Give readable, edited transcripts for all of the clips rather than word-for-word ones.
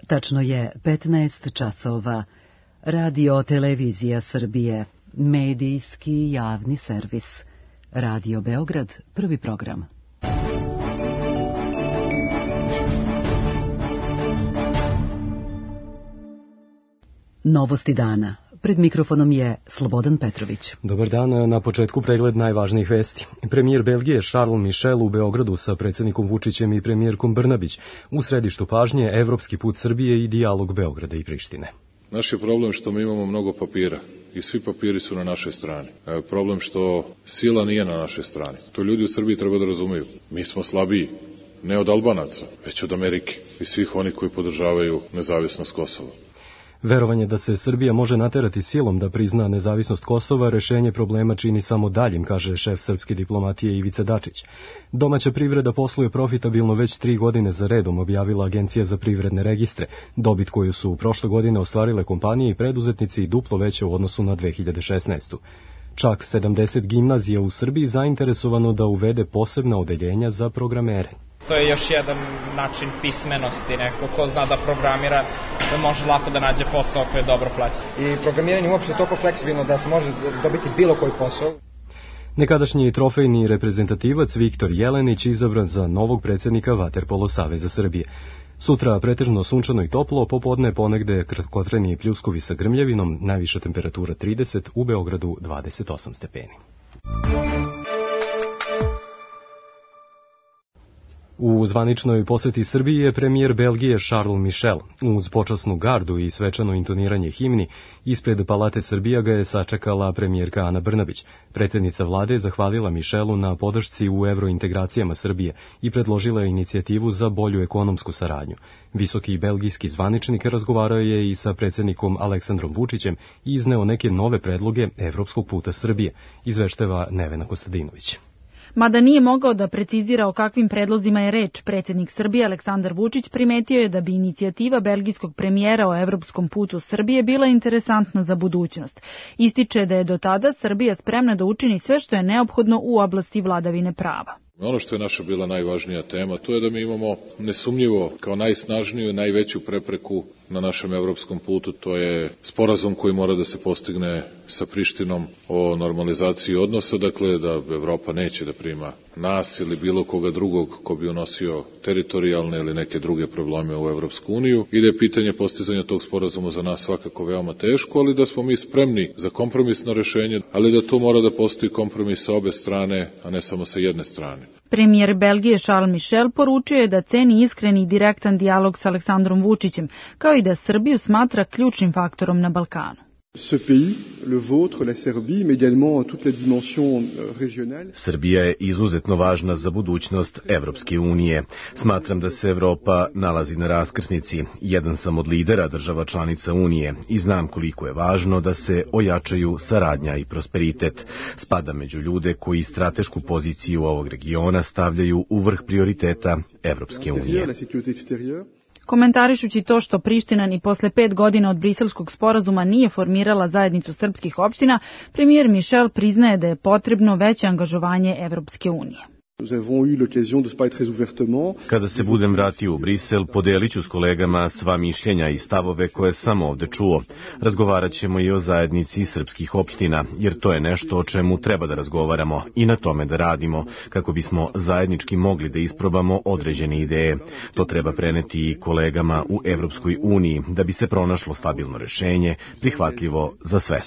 Tačno je 15 časova. Radio Televizija Srbije, medijski javni servis. Radio Beograd, prvi program. Novosti dana. Pred mikrofonom je Slobodan Petrović. Dobar dan, na početku pregled najvažnijih vesti. Premijer Belgije Charles Michel u Beogradu sa predsjednikom Vučićem i premijerkom Brnabić. U središtu pažnje evropski put Srbije i dijalog Beograda i Prištine. Naš je problem što mi imamo mnogo papira i svi papiri su na našoj strani. Problem što sila nije na našoj strani. To ljudi u Srbiji treba da razumiju. Mi smo slabiji, ne od Albanaca, već od Amerike i svih onih koji podržavaju nezavisnost Kosova. Verovanje da se Srbija može naterati silom da prizna nezavisnost Kosova rešenje problema čini samo daljim, kaže šef srpske diplomatije Ivica Dačić. Domaća privreda posluje profitabilno već 3 godine za redom, objavila Agencija za privredne registre. Dobit koju su prošle godine ostvarile kompanije i preduzetnici duplo veće u odnosu na 2016. Čak 70 gimnazija u Srbiji zainteresovano da uvede posebna odeljenja za programere. To je još jedan način pismenosti, neko ko zna da programira, da može lako da nađe posao koji je dobro plaćen. I programiranje uopšte je toliko fleksibilno da se može dobiti bilo koji posao. Nekadašnji trofejni reprezentativac Viktor Jelenić izabran za novog predsjednika Vaterpolo Saveza Srbije. Sutra pretežno sunčano i toplo, popodne ponegde kratkotreni i pljuskovi sa grmljavinom, najviša temperatura 30, u Beogradu 28 stepeni. U zvaničnoj poseti Srbiji je premijer Belgije Charles Michel. Uz počasnu gardu i svečano intoniranje himni, ispred Palate Srbija ga je sačekala premijerka Ana Brnabić. Predsjednica vlade je zahvalila Michelu na podršci u evrointegracijama Srbije i predložila je inicijativu za bolju ekonomsku saradnju. Visoki belgijski zvaničnik razgovarao je i sa predsjednikom Aleksandrom Vučićem i izneo neke nove predloge evropskog puta Srbije, izveštava Nevena Kostadinović. Mada nije mogao da precizira o kakvim predlozima je reč, predsjednik Srbije Aleksandar Vučić primetio je da bi inicijativa belgijskog premijera o evropskom putu Srbije bila interesantna za budućnost. Ističe da je do tada Srbija spremna da učini sve što je neophodno u oblasti vladavine prava. Ono što je naša bila najvažnija tema, to je da mi imamo nesumnjivo kao najsnažniju i najveću prepreku na našem evropskom putu, to je sporazum koji mora da se postigne sa Prištinom o normalizaciji odnosa, dakle da Evropa neće da prima nas ili bilo koga drugog ko bi unosio teritorijalne ili neke druge probleme u Evropsku uniju i da je pitanje postizanja tog sporazuma za nas svakako veoma teško, ali da smo mi spremni za kompromisno rešenje, ali da to mora da postoji kompromis sa obe strane, a ne samo sa jedne strane. Premijer Belgije Charles Michel poručio je da ceni iskreni i direktan dijalog s Aleksandrom Vučićem, kao i da Srbiju smatra ključnim faktorom na Balkanu. Ce pays, le vôtre, la Serbie, mais également toute la dimension régionale. Srbija je izuzetno važna za budućnost Evropske unije. Smatram da se Evropa nalazi na raskrsnici. Jedan sam od lidera država članica Unije i znam koliko je važno da se ojačaju saradnja i prosperitet. Spada među ljude koji stratešku poziciju ovog regiona stavljaju u vrh prioriteta Evropske unije. Komentarišući to što Priština ni posle 5 godina od briselskog sporazuma nije formirala zajednicu srpskih opština, premijer Michel priznaje da je potrebno veće angažovanje Evropske unije. Kada se budem vratio u Brisel, podelit ću s kolegama sva mišljenja i stavove koje sam ovde čuo. Razgovarat ćemo i o zajednici srpskih opština, jer to je nešto o čemu treba da razgovaramo i na tome da radimo, kako bismo zajednički mogli da isprobamo određene ideje. To treba preneti i kolegama u Evropskoj uniji, da bi se pronašlo stabilno rešenje, prihvatljivo za sve.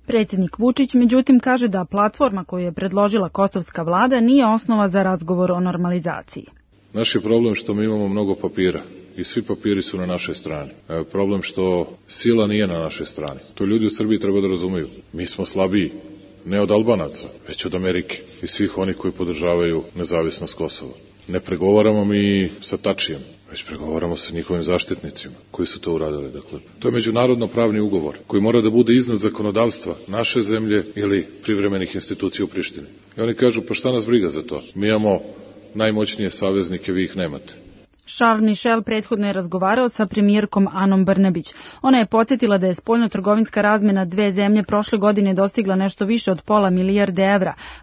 Predsjednik Vučić, međutim, kaže da platforma koju je predložila kosovska vlada nije osnova za razgovor o normalizaciji. Naš je problem što mi imamo mnogo papira i svi papiri su na našoj strani. Problem što sila nije na našoj strani. To ljudi u Srbiji treba da razumiju. Mi smo slabiji, ne od Albanaca, već od Amerike i svih onih koji podržavaju nezavisnost Kosova. Ne pregovaramo mi sa Tačijem, već pregovaramo sa njihovim zaštitnicima koji su to uradili. Dakle, to je međunarodno pravni ugovor koji mora da bude iznad zakonodavstva naše zemlje ili privremenih institucija u Prištini. I oni kažu, pa šta nas briga za to? Mi imamo najmoćnije saveznike, vi ih nemate. Charles Michel prethodno je razgovarao sa premijerkom Anom Brnabić. Ona je podsjetila da je spoljnotrgovinska razmena dve zemlje prošle godine dostigla nešto više od £500 milijardi,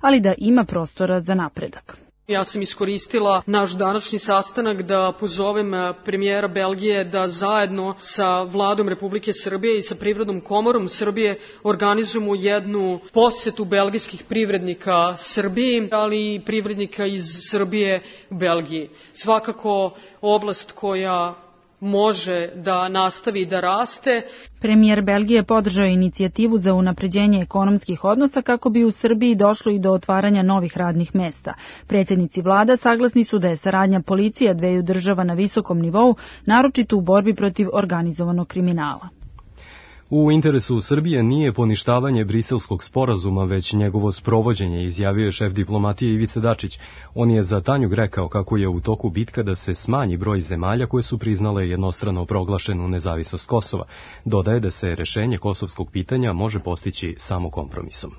ali da ima prostora za napredak. Ja sam iskoristila naš današnji sastanak da pozovem premijera Belgije da zajedno sa Vladom Republike Srbije i sa Privrednom komorom Srbije organizujemo jednu posetu belgijskih privrednika Srbiji, ali i privrednika iz Srbije u Belgiji. Svakako oblast koja može da nastavi da raste. Premijer Belgije podržao inicijativu za unapređenje ekonomskih odnosa kako bi u Srbiji došlo i do otvaranja novih radnih mesta. Predsjednici vlada saglasni su da je saradnja policija dveju država na visokom nivou, naročito u borbi protiv organizovanog kriminala. U interesu Srbije nije poništavanje Briselskog sporazuma, već njegovo sprovođenje, izjavio je šef diplomatije Ivica Dačić. On je za Tanjug rekao kako je u toku bitka da se smanji broj zemalja koje su priznale jednostrano proglašenu nezavisnost Kosova. Dodaje da se rešenje kosovskog pitanja može postići samo kompromisom.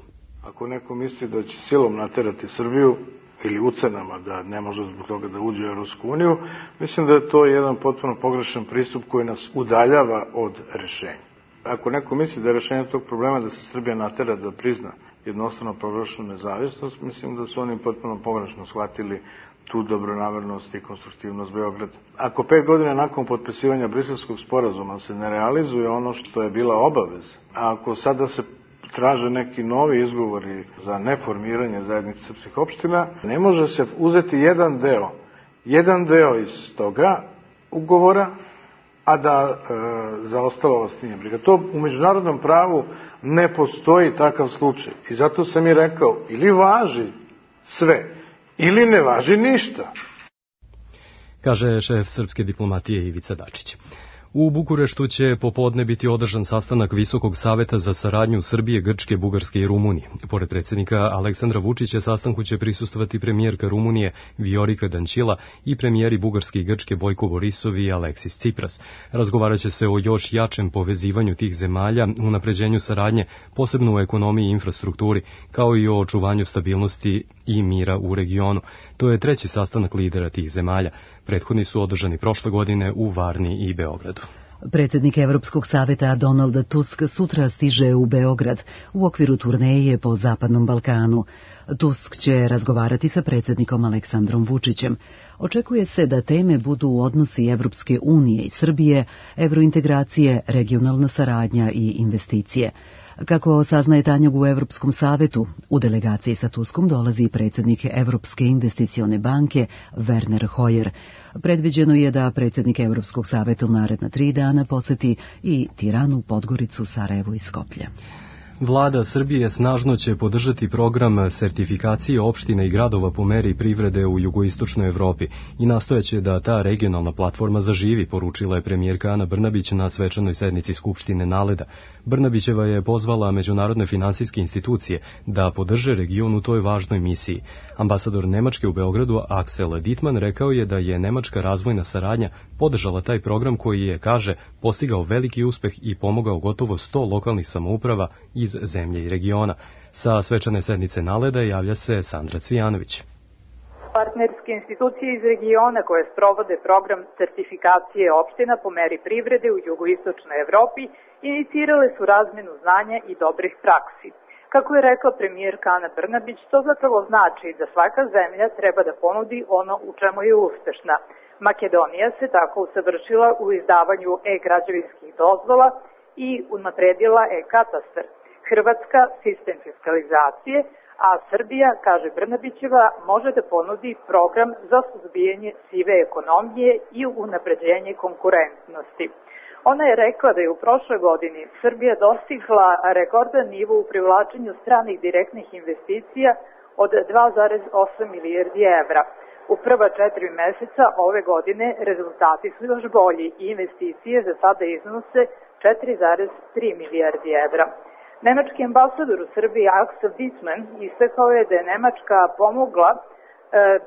Ako neko misli da će silom naterati Srbiju ili ucenama da ne može zbog toga da uđe u Europsku uniju, mislim da je to jedan potpuno pogrešan pristup koji nas udaljava od rešenja. Ako neko misli da je rešenje tog problema da se Srbija natera da prizna jednostrano proglašenu nezavisnost, mislim da su oni potpuno pogrešno shvatili tu dobronamernost i konstruktivnost Beograda. Ako 5 godina nakon potpisivanja Briselskog sporazuma se ne realizuje ono što je bila obaveza, a ako sada se traže neki novi izgovori za neformiranje zajednice srpskih opština, ne može se uzeti jedan deo iz toga ugovora, a da za ostalo vas nije briga. To u međunarodnom pravu ne postoji takav slučaj. I zato sam i rekao, ili važi sve, ili ne važi ništa. Kaže šef srpske diplomatije Ivica Dačić. U Bukureštu će popodne biti održan sastanak Visokog saveta za saradnju Srbije, Grčke, Bugarske i Rumunije. Pored predsjednika Aleksandra Vučića, sastanku će prisustvovati premijerka Rumunije Viorika Dančila i premijeri Bugarske i Grčke Bojko Borisov i Aleksis Cipras. Razgovarat će se o još jačem povezivanju tih zemalja, unapređenju saradnje, posebno u ekonomiji i infrastrukturi, kao i o očuvanju stabilnosti i mira u regionu. To je treći sastanak lidera tih zemalja. Prethodni su održani prošle godine u Varni i Beogradu. Predsjednik Evropskog saveta Donald Tusk sutra stiže u Beograd u okviru turneje po Zapadnom Balkanu. Tusk će razgovarati sa predsjednikom Aleksandrom Vučićem. Očekuje se da teme budu odnosi Evropske unije i Srbije, evrointegracije, regionalna saradnja i investicije. Kako saznaje Tanjug u Evropskom savetu, u delegaciji sa Tuskom dolazi predsjednik Evropske investicione banke Werner Hoyer. Predviđeno je da predsjednik Evropskog saveta u naredna 3 dana poseti i Tiranu, Podgoricu, Sarajevo i Skoplje. Vlada Srbije snažno će podržati program sertifikacije opština i gradova po meri privrede u jugoistočnoj Evropi i nastojaće da ta regionalna platforma zaživi, poručila je premijerka Ana Brnabić na svečanoj sednici Skupštine NALED-a. Brnabićeva je pozvala međunarodne finansijske institucije da podrže region u toj važnoj misiji. Ambasador Nemačke u Beogradu Axel Dittmann rekao je da je nemačka razvojna saradnja podržala taj program koji je, kaže, postigao veliki uspeh i pomogao gotovo 100 lokalnih samouprava iz zemlje i regiona. Sa svečane sednice NALED-a javlja se Sandra Cvijanović. Partnerske institucije iz regiona koje sprovode program sertifikacije opština po meri privrede u jugoistočnoj Evropi inicirale su razmenu znanja i dobrih praksi. Kako je rekla premijerka Ana Brnabić, to zapravo znači da svaka zemlja treba da ponudi ono u čemu je uspešna. Makedonija se tako usavršila u izdavanju e-građevinskih dozvola i unapredila e-katastar. Hrvatska sistem fiskalizacije, a Srbija, kaže Brnabićeva, može da ponudi program za suzbijanje sive ekonomije i unapređenje konkurentnosti. Ona je rekla da je u prošloj godini Srbija dostigla rekordan nivo u privlačenju stranih direktnih investicija od 2,8 milijardi evra. U prva 4 meseca ove godine rezultati su još bolji i investicije za sada iznose 4,3 milijardi evra. Nemački ambasador u Srbiji Axel Dittmann istakao je da je Nemačka pomogla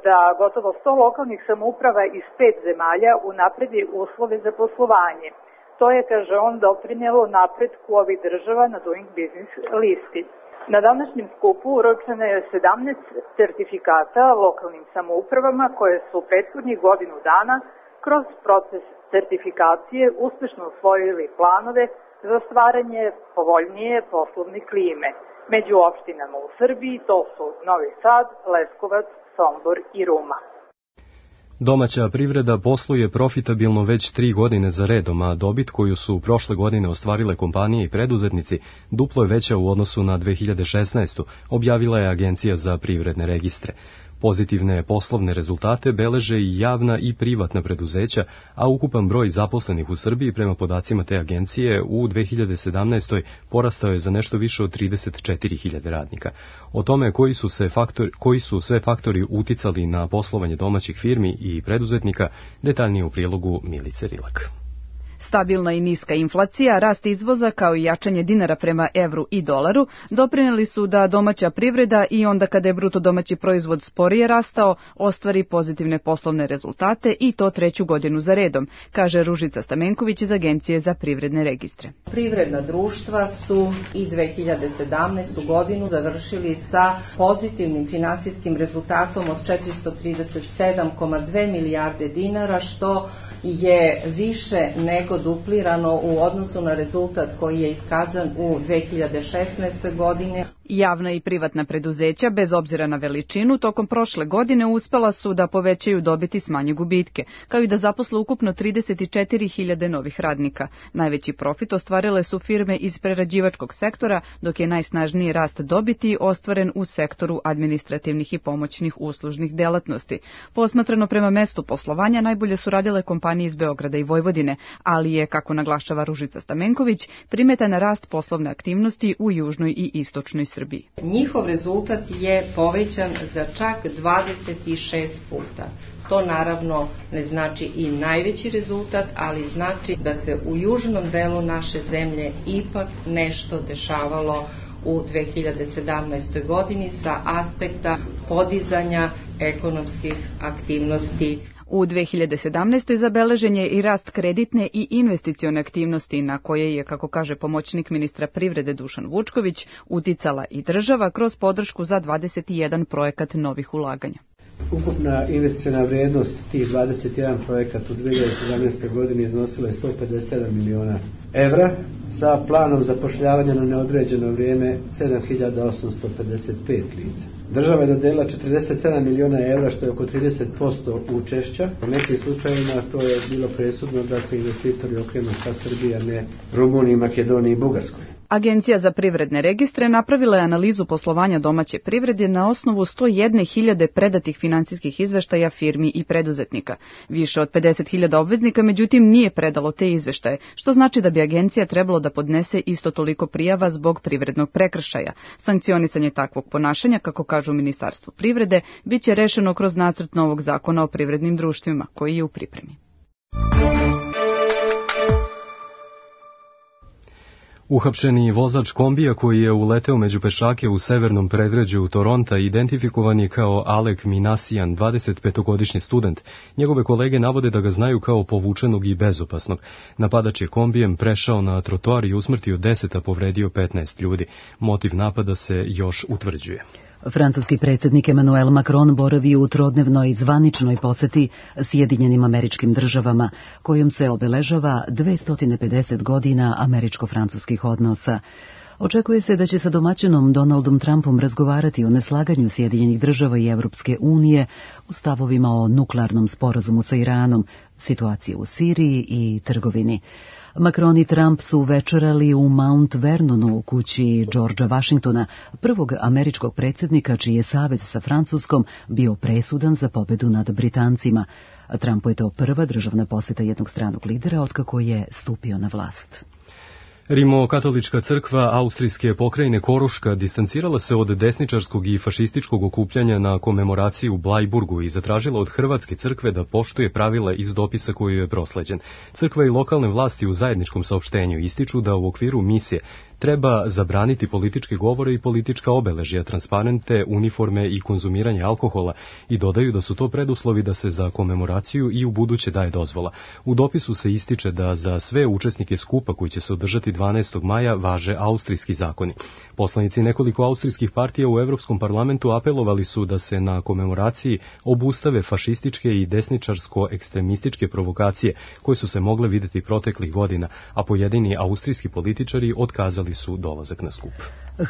da gotovo 100 lokalnih samouprava iz 5 zemalja unapredi uslove za poslovanje. To je, kaže on, doprinjelo napretku ovih država na Doing Business listi. Na današnjem skupu uročeno je 17 certifikata lokalnim samoupravama koje su prethodnih godinu dana kroz proces certifikacije uspešno usvojili planove za stvaranje povoljnije poslovne klime. Među opštinama u Srbiji to su Novi Sad, Leskovac, Sombor i Ruma. Domaća privreda posluje profitabilno već 3 godine za redom, a dobit koju su prošle godine ostvarile kompanije i preduzetnici duplo je veća u odnosu na 2016. objavila je Agencija za privredne registre. Pozitivne poslovne rezultate beleže i javna i privatna preduzeća, a ukupan broj zaposlenih u Srbiji prema podacima te agencije u 2017. porastao je za nešto više od 34.000 radnika. O tome koji su sve faktori uticali na poslovanje domaćih firmi i preduzetnika, detaljnije u prilogu Milice Rilak. Stabilna i niska inflacija, rast izvoza kao i jačanje dinara prema evru i dolaru doprineli su da domaća privreda i onda kada je bruto domaći proizvod sporije rastao, ostvari pozitivne poslovne rezultate i to 3. godinu za redom, kaže Ružica Stamenković iz Agencije za privredne registre. Privredna društva su i 2017. godinu završili sa pozitivnim finansijskim rezultatom od 437,2 milijarde dinara, što je više nego duplirano u odnosu na rezultat koji je iskazan u 2016. godine. Javna i privatna preduzeća, bez obzira na veličinu, tokom prošle godine uspela su da povećaju dobit i smanje gubitke, kao i da zaposle ukupno 34.000 novih radnika. Najveći profit ostvarile su firme iz prerađivačkog sektora, dok je najsnažniji rast dobiti ostvaren u sektoru administrativnih i pomoćnih uslužnih delatnosti. Posmatrano prema mestu poslovanja, najbolje su radile kompanije iz Beograda i Vojvodine, ali je, kako naglašava Ružica Stamenković, primetan rast poslovne aktivnosti u južnoj i istočnoj Srbiji. Njihov rezultat je povećan za čak 26 puta. To naravno ne znači i najveći rezultat, ali znači da se u južnom delu naše zemlje ipak nešto dešavalo u 2017. godini sa aspekta podizanja ekonomskih aktivnosti. U 2017. zabeležen je i rast kreditne i investicione aktivnosti na koje je, kako kaže pomoćnik ministra privrede Dušan Vučković, uticala i država kroz podršku za 21 projekat novih ulaganja. Ukupna investiciona vrijednost tih 21 projekata u 2017. godini iznosila je 157 miliona evra sa planom zapošljavanja na neodređeno vrijeme 7.855 lica. Država je dodela 47 miliona evra, što je oko 30% učešća. U nekim slučajevima to je bilo presudno da se investitori okrenu ka Srbiji, a ne Rumuniji, Makedoniji i Bugarskoj. Agencija za privredne registre napravila je analizu poslovanja domaće privrede na osnovu 101.000 predatih finansijskih izveštaja firmi i preduzetnika. Više od 50.000 obveznika, međutim, nije predalo te izveštaje, što znači da bi agencija trebalo da podnese isto toliko prijava zbog privrednog prekršaja. Sankcionisanje takvog ponašanja, kako kažu u Ministarstvu privrede, biće rešeno kroz nacrt novog zakona o privrednim društvima, koji je u pripremi. Uhapšeni vozač kombija koji je uleteo među pešake u severnom predgrađu Toronta identifikovan je kao Alek Minasian, 25-godišnji student. Njegove kolege navode da ga znaju kao povučenog i bezopasnog. Napadač je kombijem prešao na trotoar i usmrtio 10, a povredio 15 ljudi. Motiv napada se još utvrđuje. Francuski predsjednik Emmanuel Macron boravi u trodnevnoj zvaničnoj poseti Sjedinjenim Američkim Državama, kojom se obeležava 250 godina američko-francuskih odnosa. Očekuje se da će sa domaćinom Donaldom Trumpom razgovarati o neslaganju Sjedinjenih Država i Evropske unije u stavovima o nuklearnom sporazumu sa Iranom, situaciji u Siriji i trgovini. Macron i Trump su večerali u Mount Vernonu u kući Georgea Washingtona, prvog američkog predsjednika čiji je savez sa Francuskom bio presudan za pobedu nad Britancima. Trumpu je to prva državna posjeta jednog stranog lidera otkako je stupio na vlast. Rimokatolička crkva austrijske pokrajine Koruška distancirala se od desničarskog i fašističkog okupljanja na komemoraciji u Blajburgu i zatražila od Hrvatske crkve da poštuje pravila iz dopisa koji je prosleđen. Crkva i lokalne vlasti u zajedničkom saopštenju ističu da u okviru misije treba zabraniti političke govore i politička obeležja, transparente, uniforme i konzumiranje alkohola i dodaju da su to preduslovi da se za komemoraciju i u buduće daje dozvola. U dopisu se ističe da za sve učesnike skupa koji će se održati 12. maja važe austrijski zakoni. Poslanici nekoliko austrijskih partija u Evropskom parlamentu apelovali su da se na komemoraciji obustave fašističke i desničarsko-ekstremističke provokacije koje su se mogle videti proteklih godina, a pojedini austrijski političari otkazali su dolazak na skup.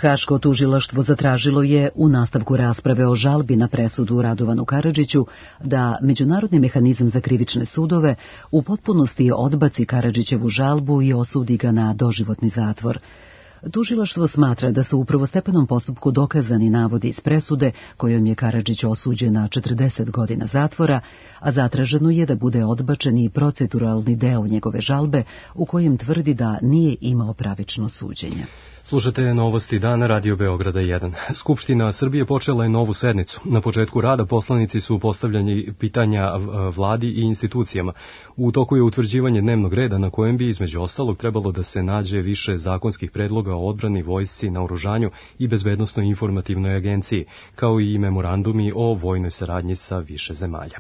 Haško tužilaštvo zatražilo je u nastavku rasprave o žalbi na presudu Radovanu Karadžiću da Međunarodni mehanizam za krivične sudove u potpunosti odbaci Karadžićevu žalbu i osudi ga na doživotni zatvor. Tužilaštvo smatra da su u prvostepenom postupku dokazani navodi iz presude kojom je Karadžić osuđen na 40 godina zatvora, a zatraženo je da bude odbačen i proceduralni deo njegove žalbe u kojem tvrdi da nije imao pravično suđenje. Slušate novosti dana Radio Beograda 1. Skupština Srbije počela je novu sednicu. Na početku rada poslanici su postavljali pitanja vladi i institucijama. U toku je utvrđivanje dnevnog reda na kojem bi između ostalog trebalo da se nađe više zakonskih predloga o odbrani, vojsci, naoružanju i bezbednosnoj informativnoj agenciji, kao i memorandumi o vojnoj saradnji sa više zemalja.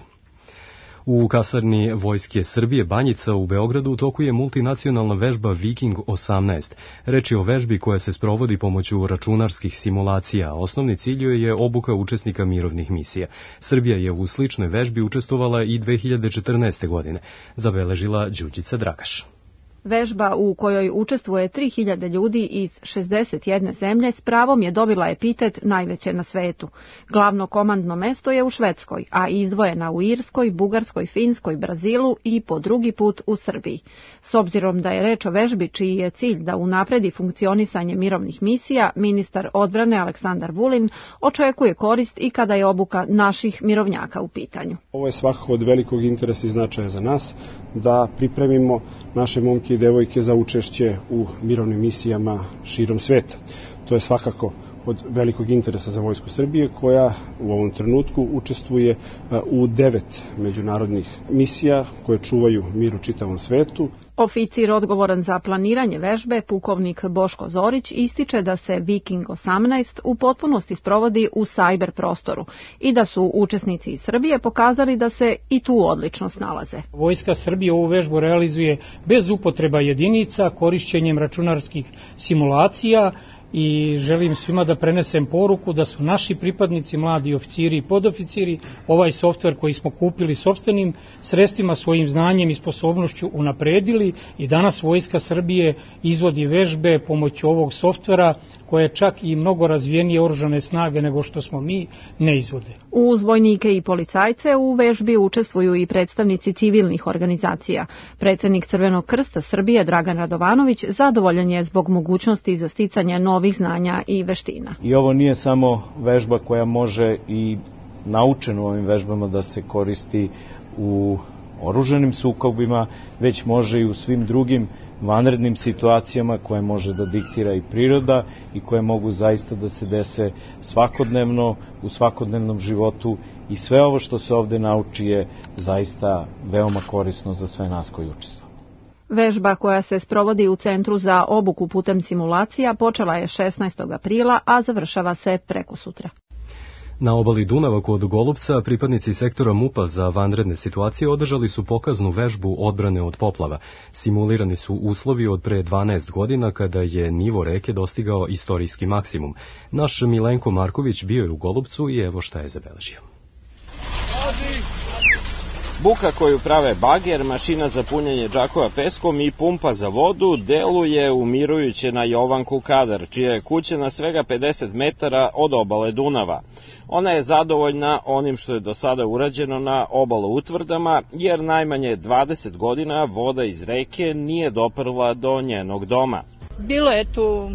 U kasarni Vojske Srbije Banjica u Beogradu u toku je multinacionalna vežba Viking 18. Reč je o vežbi koja se sprovodi pomoću računarskih simulacija. Osnovni cilj je obuka učesnika mirovnih misija. Srbija je u sličnoj vežbi učestvovala i 2014. godine, zabeležila Đurđica Dragaš. Vežba u kojoj učestvuje 3000 ljudi iz 61 zemlje s pravom je dobila epitet najveće na svetu. Glavno komandno mesto je u Švedskoj, a izdvojena u Irskoj, Bugarskoj, Finskoj, Brazilu i po drugi put u Srbiji. S obzirom da je reč o vežbi čiji je cilj da unapredi funkcionisanje mirovnih misija, ministar odbrane Aleksandar Vulin očekuje korist i kada je obuka naših mirovnjaka u pitanju. Ovo je svakako od velikog interesa i značaja za nas da pripremimo naše momke i devojke za učešće u mirovnim misijama širom sveta. To je svakako od velikog interesa za Vojsku Srbije, koja u ovom trenutku učestvuje u 9 međunarodnih misija koje čuvaju mir u čitavom svetu. Oficir odgovoran za planiranje vežbe, pukovnik Boško Zorić, ističe da se Viking 18 u potpunosti sprovodi u sajber prostoru i da su učesnici iz Srbije pokazali da se i tu odlično snalaze. Vojska Srbije ovu vežbu realizuje bez upotreba jedinica, korišćenjem računarskih simulacija, i želim svima da prenesem poruku da su naši pripadnici, mladi oficiri i podoficiri, ovaj softver koji smo kupili sopstvenim sredstvima, svojim znanjem i sposobnošću unapredili i danas Vojska Srbije izvodi vežbe pomoću ovog softvera koje čak i mnogo razvijenije oružane snage nego što smo mi ne izvode. Uz vojnike i policajce u vežbi učestvuju i predstavnici civilnih organizacija. Predsednik Crvenog krsta Srbije Dragan Radovanović zadovoljan je zbog mogućnosti za sticanje novih znanja i veština. I ovo nije samo vežba koja može i naučeno ovim vežbama da se koristi u oružanim sukobima, već može i u svim drugim vanrednim situacijama koje može da diktira i priroda i koje mogu zaista da se dese svakodnevno u svakodnevnom životu, i sve ovo što se ovde nauči je zaista veoma korisno za sve nas koji učestvuju. Vežba koja se sprovodi u Centru za obuku putem simulacija počela je 16. aprila, a završava se prekosutra. Na obali Dunava kod Golubca pripadnici sektora MUP-a za vanredne situacije održali su pokaznu vežbu odbrane od poplava. Simulirani su uslovi od pre 12 godina kada je nivo reke dostigao istorijski maksimum. Naš Milenko Marković bio je u Golubcu i evo šta je zabeležio. Buka koju prave bager, mašina za punjenje džakova peskom i pumpa za vodu deluje umirujuće na Jovanku Kadar, čija je kuća na svega 50 metara od obale Dunava. Ona je zadovoljna onim što je do sada urađeno na obalo utvrdama, jer najmanje 20 godina voda iz reke nije doprla do njenog doma. Bilo je tu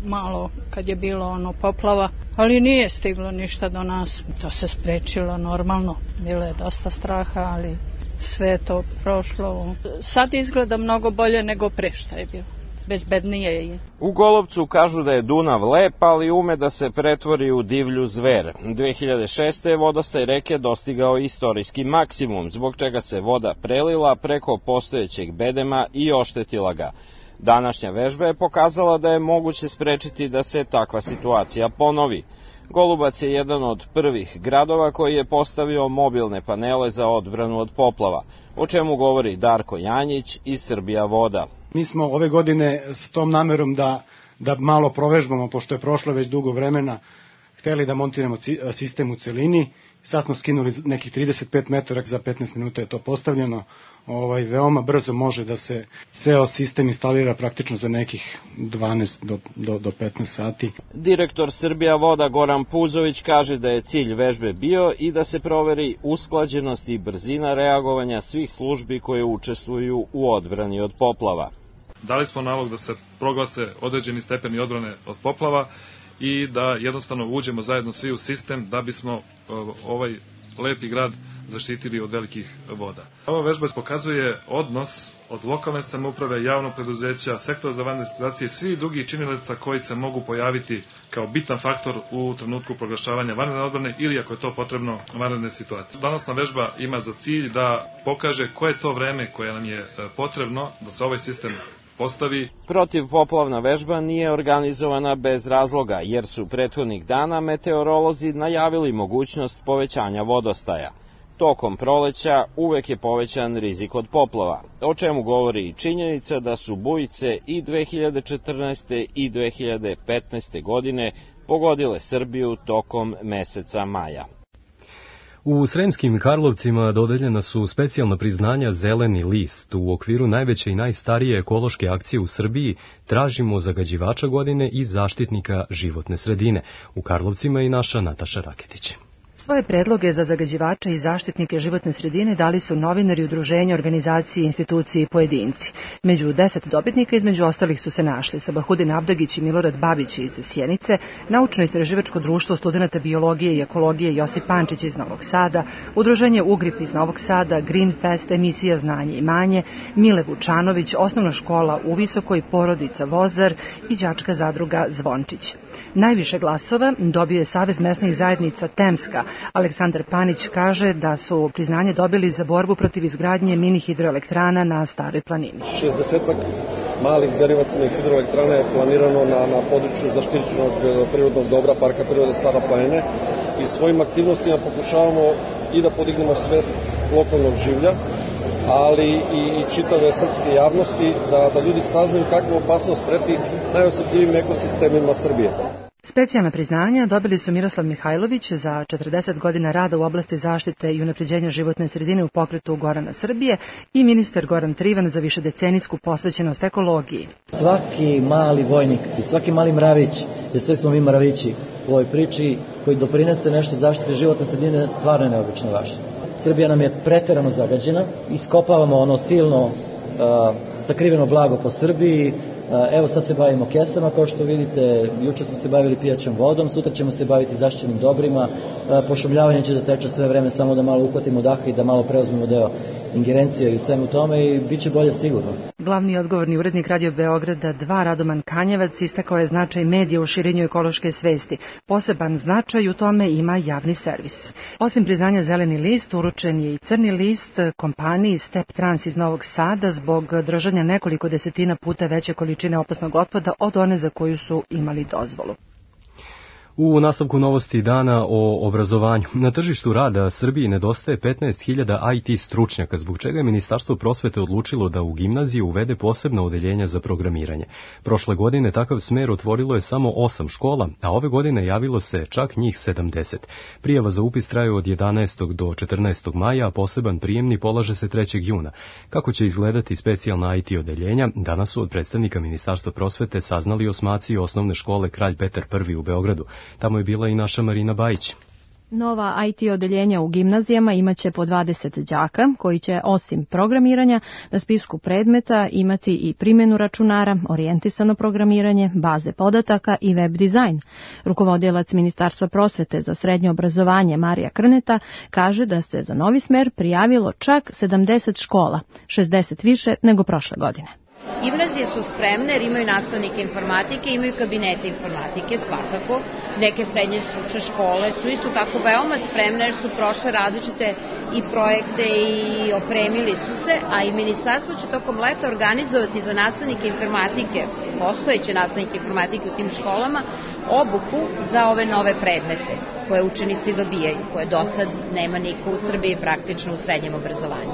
malo kad je bilo poplava, ali nije stiglo ništa do nas. To se sprečilo normalno. Bilo je dosta straha, ali sve je to prošlo. Sad izgleda mnogo bolje nego pre šta je bilo. Bezbednije je. U Golubcu kažu da je Dunav lep, ali ume da se pretvori u divlju zver. 2006. je vodostaj reke dostigao istorijski maksimum, zbog čega se voda prelila preko postojećeg bedema i oštetila ga. Današnja vežba je pokazala da je moguće sprečiti da se takva situacija ponovi. Golubac je jedan od prvih gradova koji je postavio mobilne panele za odbranu od poplava, o čemu govori Darko Janjić iz Srbija voda. Mi smo ove godine s tom namerom da malo provežbamo, pošto je prošlo već dugo vremena, hteli da montiramo sistem u celini. Sad smo skinuli nekih 35 metara, za 15 minuta je to postavljeno. Veoma brzo može da se ceo sistem instalira praktično za nekih 12 do 15 sati. Direktor Srbija voda Goran Puzović kaže da je cilj vežbe bio i da se proveri usklađenost i brzina reagovanja svih službi koje učestvuju u odbrani od poplava. Dali smo nalog da se proglase određeni stepeni odbrane od poplava i da jednostavno uđemo zajedno svi u sistem da bismo ovaj lepi grad zaštitili od velikih voda. Ova vežba pokazuje odnos od lokalne samouprave, javnog preduzeća, sektora za vanredne situacije i svih drugih činilaca koji se mogu pojaviti kao bitan faktor u trenutku proglašavanja vanredne odbrane ili, ako je to potrebno, vanredne situacije. Danosna vežba ima za cilj da pokaže koje je to vreme koje nam je potrebno da se ovaj sistem postavi. Protivpoplavna vežba nije organizovana bez razloga, jer su prethodnih dana meteorolozi najavili mogućnost povećanja vodostaja. Tokom proleća uvek je povećan rizik od poplava, o čemu govori i činjenica da su bujice i 2014. i 2015. godine pogodile Srbiju tokom meseca maja. U Sremskim Karlovcima dodeljena su specijalna priznanja Zeleni list. U okviru najveće i najstarije ekološke akcije u Srbiji tražimo zagađivača godine i zaštitnika životne sredine. U Karlovcima i naša Nataša Raketić. Svoje predloge za zagađivače i zaštitnike životne sredine dali su novinari, udruženja, organizacije, institucije i pojedinci. Među 10 dobitnika između ostalih su se našli Sabahudin Abdagić i Milorad Babić iz Sjenice, Naučno-istraživačko društvo studenata biologije i ekologije Josip Pančić iz Novog Sada, Udruženje Ugrip iz Novog Sada, Green Fest, emisija Znanje i manje, Mile Vučanović, Osnovna škola u Visokoj, porodica Vozar i đačka zadruga Zvončić. Najviše glasova dobio je Savez mesnih zajednica Temska. Aleksandar Panić kaže da su priznanje dobili za borbu protiv izgradnje mini hidroelektrana na Staroj planini. 60 malih derivacionih hidroelektrana je planirano na području zaštićenog prirodnog dobra Parka prirode Stara planina i svojim aktivnostima pokušavamo i da podignemo svest lokalnog življa, ali i čitave srpske javnosti da ljudi saznaju kakvu opasnost preti najosjetljivim ekosistemima Srbije. Specijalna priznanja dobili su Miroslav Mihajlović za 40 godina rada u oblasti zaštite i unapređenja životne sredine u pokretu Gorana Srbije i ministar Goran Trivan za višedecenijsku posvećenost ekologiji. Svaki mali vojnik i svaki mali mravić, jer sve smo mi mravići u ovoj priči koji doprinese nešto zaštite životne sredine, stvarno je neobično važno. Srbija nam je preterano zagađena, iskopavamo ono silno sakriveno blago po Srbiji. Evo sad se bavimo kesama, kao što vidite, juče smo se bavili pijaćom vodom, sutra ćemo se baviti zaštićenim dobrima, pošumljavanje će da teče sve vreme, samo da malo uhvatimo daha i da malo preuzmemo deo ingerencije i u svemu tome i bit će bolje sigurno. Glavni odgovorni urednik Radio Beograda 2 Radoman Kanjevac istakao je značaj medija u širenju ekološke svesti. Poseban značaj u tome ima javni servis. Osim priznanja Zeleni list, uručen je i Crni list kompaniji Step Trans iz Novog Sada zbog držanja nekoliko desetina puta veće količine opasnog otpada od one za koju su imali dozvolu. U nastavku novosti dana o obrazovanju. Na tržištu rada Srbiji nedostaje 15.000 IT stručnjaka, zbog čega je Ministarstvo prosvete odlučilo da u gimnaziju uvede posebna odeljenja za programiranje. Prošle godine takav smer otvorilo je samo 8 škola, a ove godine javilo se čak njih 70. Prijava za upis traju od 11. do 14. maja, a poseban prijemni polaže se 3. juna. Kako će izgledati specijalna IT odeljenja, danas su od predstavnika Ministarstva prosvete saznali osmaci osnovne škole Kralj Petar I u Beogradu. Tamo je bila i naša Marina Bajić. Nova IT odeljenja u gimnazijama imaće po 20 đaka, koji će osim programiranja na spisku predmeta imati i primjenu računara, orijentisano programiranje, baze podataka i web dizajn. Rukovodilac Ministarstva prosvete za srednje obrazovanje Marija Krneta kaže da se za novi smer prijavilo čak 70 škola, 60 više nego prošle godine. Gimnazije su spremne jer imaju nastavnike informatike, imaju kabinete informatike svakako. Neke srednje stručne škole su isto tako veoma spremne jer su prošle različite i projekte i opremili su se, a i ministarstvo će tokom leta organizovati za nastavnike informatike, postojeće nastavnike informatike u tim školama, obuku za ove nove predmete koje učenici dobijaju, koje do sad nema niko u Srbiji praktično u srednjem obrazovanju.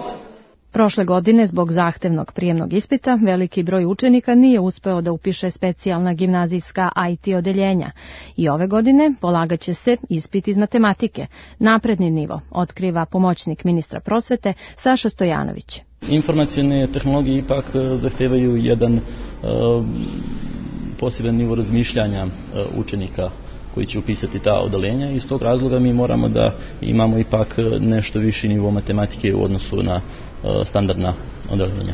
Prošle godine, zbog zahtevnog prijemnog ispita, veliki broj učenika nije uspeo da upiše specijalna gimnazijska IT odeljenja i ove godine polagaće se ispit iz matematike, napredni nivo, otkriva pomoćnik ministra prosvete Saša Stojanović. Informacione tehnologije ipak zahtevaju jedan poseban nivo razmišljanja učenika koji će upisati ta odeljenja i iz tog razloga mi moramo da imamo ipak nešto viši nivo matematike u odnosu na standardna odeljenja.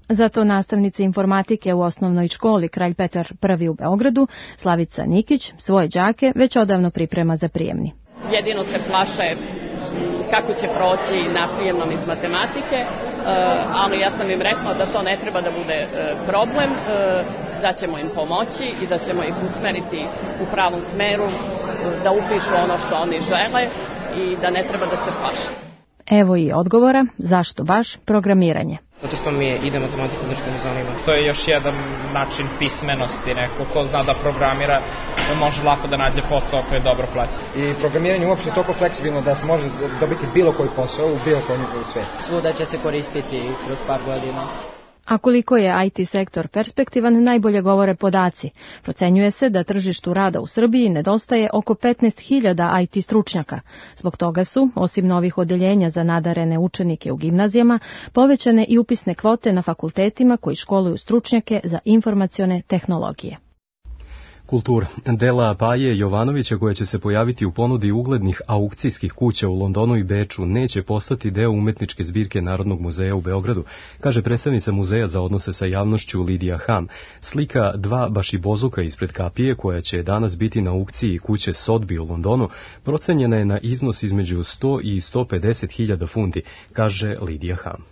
Zato nastavnica informatike u osnovnoj školi Kralj Petar I u Beogradu, Slavica Nikić, svoje đake već odavno priprema za prijemni. Jedino se plaše kako će proći na prijemnom iz matematike, ali ja sam im rekla da to ne treba da bude problem, da ćemo im pomoći i da ćemo ih usmeriti u pravom smeru, da upišu ono što oni žele i da ne treba da se plaše. Evo i odgovora zašto baš programiranje. Zato što mi ide matematika, zašto mi zanima. To je još jedan način pismenosti, neko ko zna da programira može lako da nađe posao koji je dobro plaćen. I programiranje uopšte je toliko fleksibilno da se može dobiti bilo koji posao u bilo kojem svijetu. Svuda će se koristiti kroz par godina. A koliko je IT sektor perspektivan, najbolje govore podaci. Procenjuje se da tržištu rada u Srbiji nedostaje oko 15.000 IT stručnjaka. Zbog toga su, osim novih odeljenja za nadarene učenike u gimnazijama, povećane i upisne kvote na fakultetima koji školuju stručnjake za informacione tehnologije. Kultura. Dela Paje Jovanovića, koja će se pojaviti u ponudi uglednih aukcijskih kuća u Londonu i Beču, neće postati deo umetničke zbirke Narodnog muzeja u Beogradu, kaže predstavnica Muzeja za odnose sa javnošću Lidija Ham. Slika dva bašibozuka ispred kapije, koja će danas biti na aukciji kuće Sotbi u Londonu, procenjena je na iznos između 100 i 150.000 funti, kaže Lidija Ham.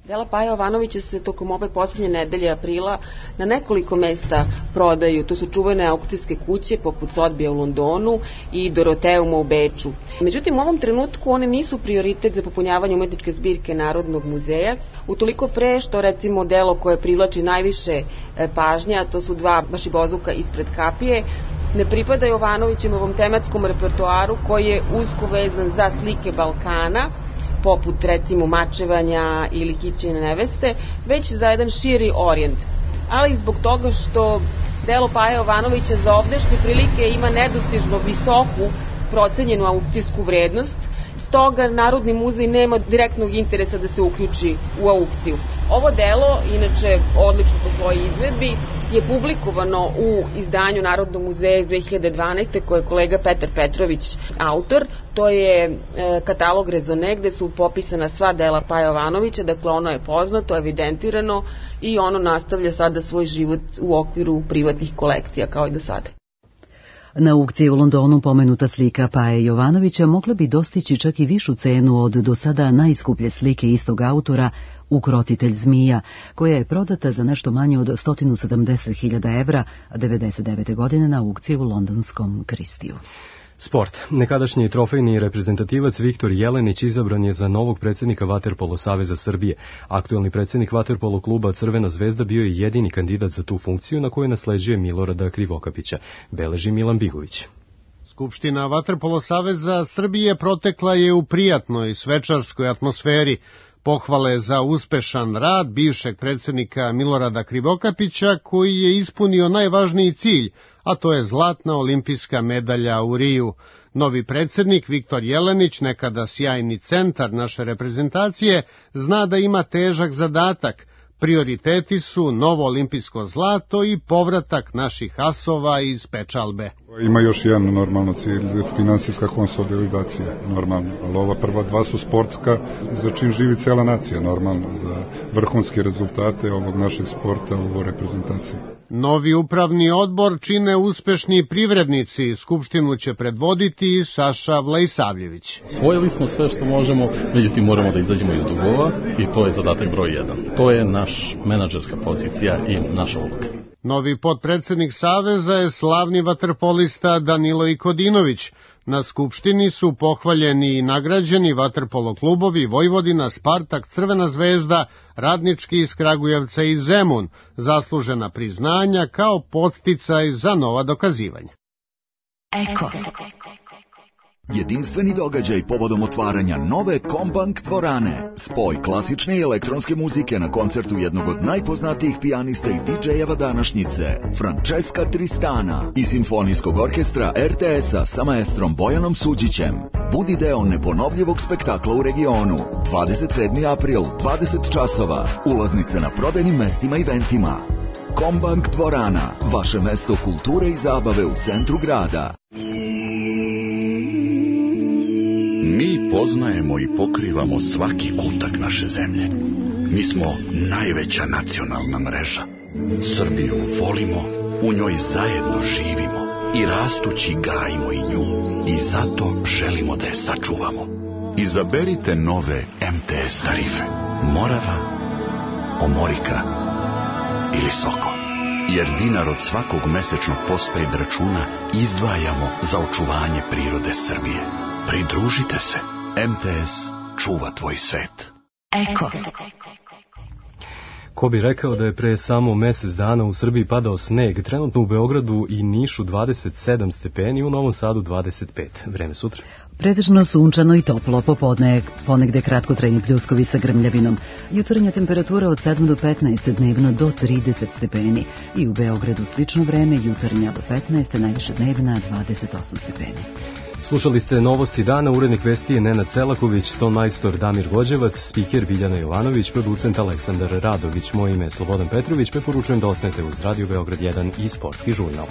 Dela Paje Jovanovića se tokom ove posljednje nedelje aprila na nekoliko mesta prodaju. To su čuvene aukcijske kuće poput Sotbija u Londonu i Doroteuma u Beču. Međutim, u ovom trenutku one nisu prioritet za popunjavanje umetničke zbirke Narodnog muzeja, utoliko pre što recimo delo koje privlači najviše pažnja, to su dva bašibozuka ispred kapije, ne pripada Jovanovićevom tematskom repertoaru koji je usko vezan za slike Balkana, poput recimo mačevanja ili kičine neveste, već za jedan širi orijent. Ali zbog toga što delo Paje Jovanovića za ovdašnje prilike ima nedostižno visoku procenjenu aukcijsku vrednost, stoga Narodni muzej nema direktnog interesa da se uključi u aukciju. Ovo delo, inače odlično po svojoj izvedbi, je publikovano u izdanju Narodnog muzeja iz 2012. koje je kolega Petar Petrović autor. To je katalog Rezone gde su popisana sva dela Paje Jovanovića, dakle ono je poznato, evidentirano i ono nastavlja sada svoj život u okviru privatnih kolekcija kao i do sada. Na aukciji u Londonu pomenuta slika Paje Jovanovića mogla bi dostići čak i višu cenu od do sada najskuplje slike istog autora Ukrotitelj zmija, koja je prodata za nešto manje od 170.000 evra 1999. godine na aukciji u londonskom Kristiju. Sport. Nekadašnji trofejni reprezentativac Viktor Jelenić izabran je za novog predsjednika Vaterpolo saveza Srbije. Aktuelni predsjednik Vaterpolo kluba Crvena zvezda bio je jedini kandidat za tu funkciju na kojoj nasleđuje Milorada Krivokapića, beleži Milan Bigović. Skupština Vaterpolo saveza Srbije protekla je u prijatnoj svečarskoj atmosferi. Pohvale za uspešan rad bivšeg predsjednika Milorada Krivokapića, koji je ispunio najvažniji cilj, a to je zlatna olimpijska medalja u Riju. Novi predsjednik Viktor Jelenić, nekada sjajni centar naše reprezentacije, zna da ima težak zadatak. Prioriteti su novo olimpijsko zlato i povratak naših asova iz pečalbe. Ima još jedan normalno cilj, finansijska konsolidacija, normalno, ali ova prva dva su sportska, za čim živi cela nacija, normalno, za vrhunske rezultate ovog našeg sporta u reprezentaciji. Novi upravni odbor čine uspešni privrednici, skupštinu će predvoditi Saša Vlajsavljević. Osvojili smo sve što možemo, međutim moramo da izađemo iz dugova i to je zadatak broj 1. To je naš menadžerska pozicija i naša uloga. Novi potpredsjednik Saveza je slavni vaterpolista Danilo Ikodinović. Na skupštini su pohvaljeni i nagrađeni vaterpolo klubovi Vojvodina, Spartak, Crvena zvezda, Radnički iz Kragujevca i Zemun, zaslužena priznanja kao podsticaj za nova dokazivanja. Eko. Jedinstveni događaj povodom otvaranja nove Kombank dvorane. Spoj klasične i elektronske muzike na koncertu jednog od najpoznatijih pijanista i DJ-eva današnjice, Francesca Tristana, i Simfonijskog orkestra RTS-a sa maestrom Bojanom Suđićem. Budi deo neponovljivog spektakla u regionu. 27. april, 20 časova. Ulaznice na prodajnim mestima i eventima. Kombank dvorana, vaše mesto kulture i zabave u centru grada. Mi poznajemo i pokrivamo svaki kutak naše zemlje. Mi smo najveća nacionalna mreža. Srbiju volimo, u njoj zajedno živimo i rastući gajimo i nju. I zato želimo da je sačuvamo. Izaberite nove MTS tarife. Morava, Omorika ili Sokol. Jer dinar od svakog mesečnog postpaid računa izdvajamo za očuvanje prirode Srbije. Pridružite se. MTS čuva tvoj svet. Eko. Ko bi rekao da je pre samo mesec dana u Srbiji padao sneg, trenutno u Beogradu i Nišu 27 stepeni, u Novom Sadu 25. Vreme sutra. Pretežno sunčano i toplo, popodne ponegde kratkotrajni pljuskovi sa grmljavinom. Jutarnja temperatura od 7 do 15, dnevno do 30 stepeni. I u Beogradu slično vreme, jutarnja do 15, najviše dnevna 28 stepeni. Slušali ste novosti dana, urednik vesti je Nenad Celaković, ton majstor Damir Gođevac, spiker Biljana Jovanović, producent Aleksandar Radović, moje ime je Slobodan Petrović, preporučujem da ostanete uz Radio Beograd 1 i Sportski žurnal.